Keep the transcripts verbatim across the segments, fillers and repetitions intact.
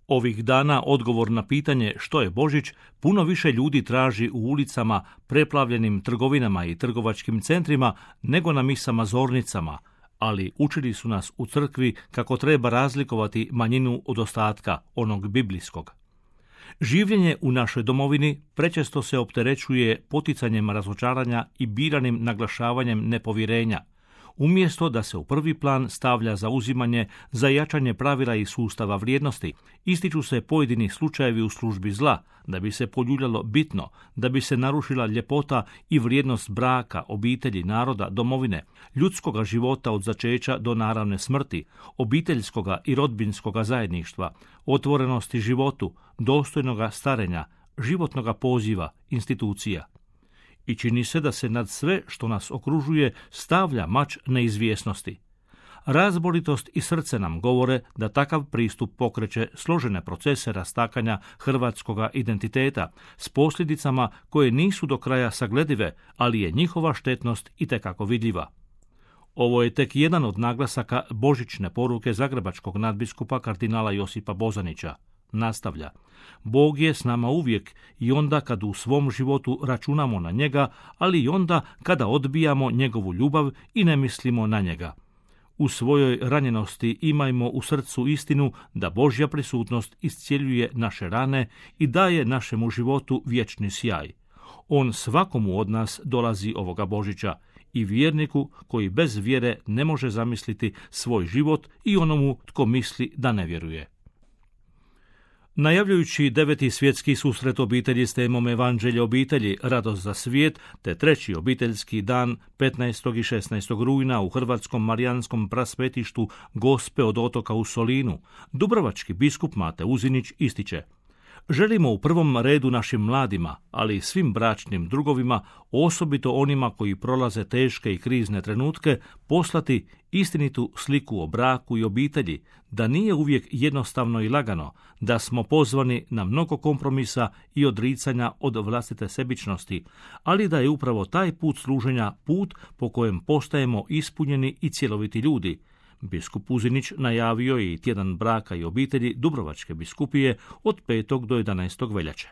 Ovih dana odgovor na pitanje što je Božić puno više ljudi traži u ulicama, preplavljenim trgovinama i trgovačkim centrima nego na misama zornicama, ali učili su nas u crkvi kako treba razlikovati manjinu od ostatka, onog biblijskog. Življenje u našoj domovini prečesto se opterećuje poticanjem razočaranja i biranim naglašavanjem nepovjerenja, umjesto da se u prvi plan stavlja zauzimanje za jačanje pravila i sustava vrijednosti. Ističu se pojedini slučajevi u službi zla, da bi se poljuljalo bitno, da bi se narušila ljepota i vrijednost braka, obitelji, naroda, domovine, ljudskoga života od začeća do naravne smrti, obiteljskoga i rodbinskoga zajedništva, otvorenosti životu, dostojnoga starenja, životnoga poziva, institucija. I čini se da se nad sve što nas okružuje stavlja mač neizvjesnosti. Razboritost i srce nam govore da takav pristup pokreće složene procese rastakanja hrvatskoga identiteta s posljedicama koje nisu do kraja sagledive, ali je njihova štetnost itekako vidljiva. Ovo je tek jedan od naglasaka božićne poruke zagrebačkog nadbiskupa kardinala Josipa Bozanića. Nastavlja: Bog je s nama uvijek i onda kad u svom životu računamo na njega, ali i onda kada odbijamo njegovu ljubav i ne mislimo na njega. U svojoj ranjenosti imajmo u srcu istinu da Božja prisutnost iscjeljuje naše rane i daje našemu životu vječni sjaj. On svakomu od nas dolazi ovoga Božića, i vjerniku koji bez vjere ne može zamisliti svoj život i onomu tko misli da ne vjeruje. Najavljujući deveti svjetski susret obitelji s temom Evanđelje obitelji, radost za svijet, te treći obiteljski dan petnaestog i šesnaestog rujna u Hrvatskom marijanskom prasvetištu Gospe od otoka u Solinu, dubrovački biskup Mate Uzinić ističe: želimo u prvom redu našim mladima, ali i svim bračnim drugovima, osobito onima koji prolaze teške i krizne trenutke, poslati istinitu sliku o braku i obitelji, da nije uvijek jednostavno i lagano, da smo pozvani na mnogo kompromisa i odricanja od vlastite sebičnosti, ali da je upravo taj put služenja put po kojem postajemo ispunjeni i cjeloviti ljudi. Biskup Uzinić najavio je i tjedan braka i obitelji Dubrovačke biskupije od petog do jedanaestog veljače.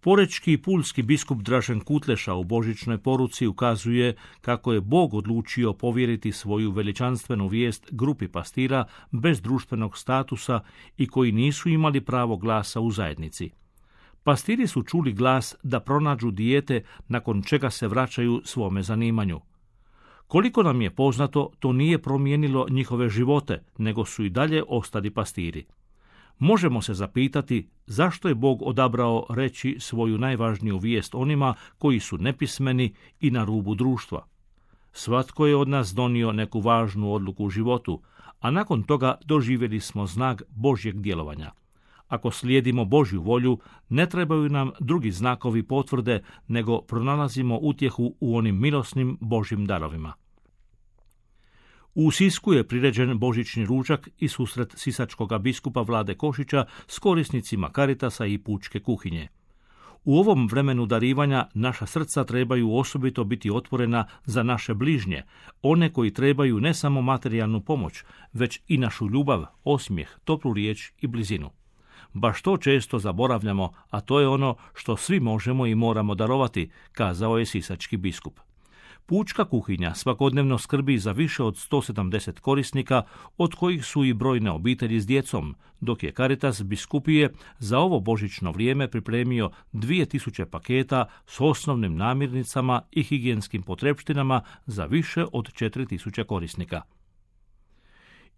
Porečki i pulski biskup Dražen Kutleša u božićnoj poruci ukazuje kako je Bog odlučio povjeriti svoju veličanstvenu vijest grupi pastira bez društvenog statusa i koji nisu imali pravo glasa u zajednici. Pastiri su čuli glas da pronađu dijete, nakon čega se vraćaju svome zanimanju. Koliko nam je poznato, to nije promijenilo njihove živote, nego su i dalje ostali pastiri. Možemo se zapitati zašto je Bog odabrao reći svoju najvažniju vijest onima koji su nepismeni i na rubu društva. Svatko je od nas donio neku važnu odluku u životu, a nakon toga doživjeli smo znak Božjeg djelovanja. Ako slijedimo Božju volju, ne trebaju nam drugi znakovi potvrde, nego pronalazimo utjehu u onim milosnim Božjim darovima. U Sisku je priređen božićni ručak i susret sisačkoga biskupa Vlade Košića s korisnicima Caritasa i pučke kuhinje. U ovom vremenu darivanja naša srca trebaju osobito biti otvorena za naše bližnje, one koji trebaju ne samo materijalnu pomoć, već i našu ljubav, osmijeh, toplu riječ i blizinu. Baš to često zaboravljamo, a to je ono što svi možemo i moramo darovati, kazao je sisački biskup. Pučka kuhinja svakodnevno skrbi za više od sto sedamdeset korisnika, od kojih su i brojne obitelji s djecom, dok je Caritas biskupije za ovo božićno vrijeme pripremio dvije tisuće paketa s osnovnim namirnicama i higijenskim potrepštinama za više od četiri tisuće korisnika.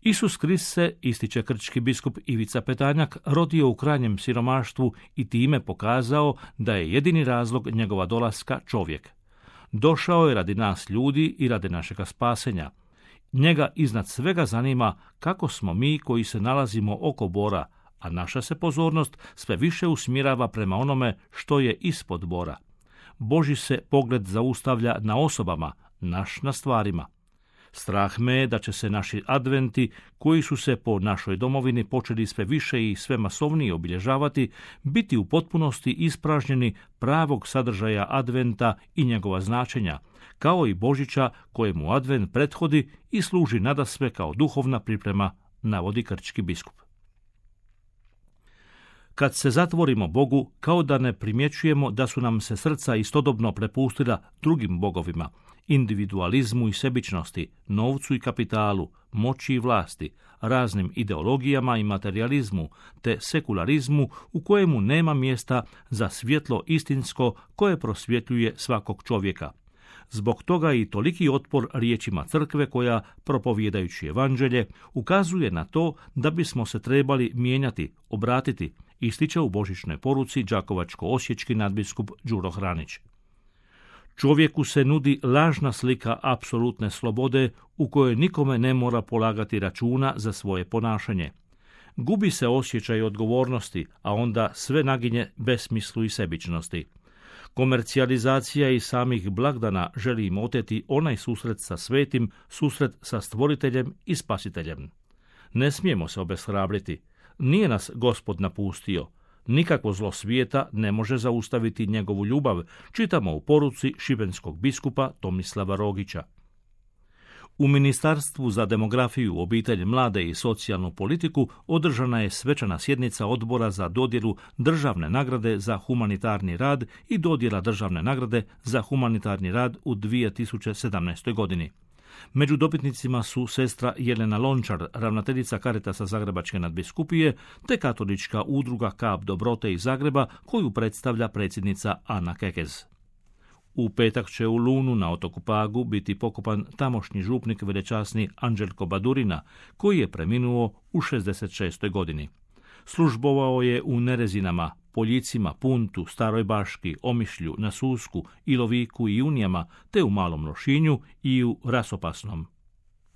Isus Krist se, ističe krčki biskup Ivica Petanjak, rodio u krajnjem siromaštvu i time pokazao da je jedini razlog njegova dolaska čovjek. Došao je radi nas ljudi i radi našega spasenja. Njega iznad svega zanima kako smo mi koji se nalazimo oko bora, a naša se pozornost sve više usmjerava prema onome što je ispod bora. Božji se pogled zaustavlja na osobama, naš na stvarima. Strah me je da će se naši adventi, koji su se po našoj domovini počeli sve više i sve masovnije obilježavati, biti u potpunosti ispražnjeni pravog sadržaja adventa i njegova značenja, kao i Božića kojemu advent prethodi i služi nadasve kao duhovna priprema, navodi krčki biskup. Kad se zatvorimo Bogu, kao da ne primjećujemo da su nam se srca istodobno prepustila drugim bogovima, individualizmu i sebičnosti, novcu i kapitalu, moći i vlasti, raznim ideologijama i materializmu, te sekularizmu u kojemu nema mjesta za svjetlo istinsko koje prosvjetljuje svakog čovjeka. Zbog toga i toliki otpor riječima crkve koja, propovjedajući evanđelje, ukazuje na to da bismo se trebali mijenjati, obratiti, ističe u božićnoj poruci đakovačko-osječki nadbiskup Đuro Hranić. Čovjeku se nudi lažna slika apsolutne slobode u kojoj nikome ne mora polagati računa za svoje ponašanje. Gubi se osjećaj odgovornosti, a onda sve naginje besmislu i sebičnosti. Komercijalizacija i samih blagdana želi im oteti onaj susret sa svetim, susret sa stvoriteljem i spasiteljem. Ne smijemo se obeshrabriti. Nije nas Gospod napustio. Nikakvo zlo svijeta ne može zaustaviti njegovu ljubav, čitamo u poruci šibenskog biskupa Tomislava Rogića. U Ministarstvu za demografiju, obitelj, mlade i socijalnu politiku održana je svečana sjednica odbora za dodjelu državne nagrade za humanitarni rad i dodjela državne nagrade za humanitarni rad u dvije tisuće sedamnaestoj godini. Među dobitnicima su sestra Jelena Lončar, ravnateljica Caritasa Zagrebačke nadbiskupije, te katolička udruga Kap dobrote iz Zagreba, koju predstavlja predsjednica Ana Kekez. U petak će u Lunu na otoku Pagu biti pokopan tamošnji župnik velečasni Anđelko Badurina, koji je preminuo u šezdeset šestoj godini. Službovao je u Nerezinama, Poljicima, Puntu, Staroj Baški, Omišlju, na Susku, Iloviku i Unijama, te u Malom Lošinju i u Rasopasnom.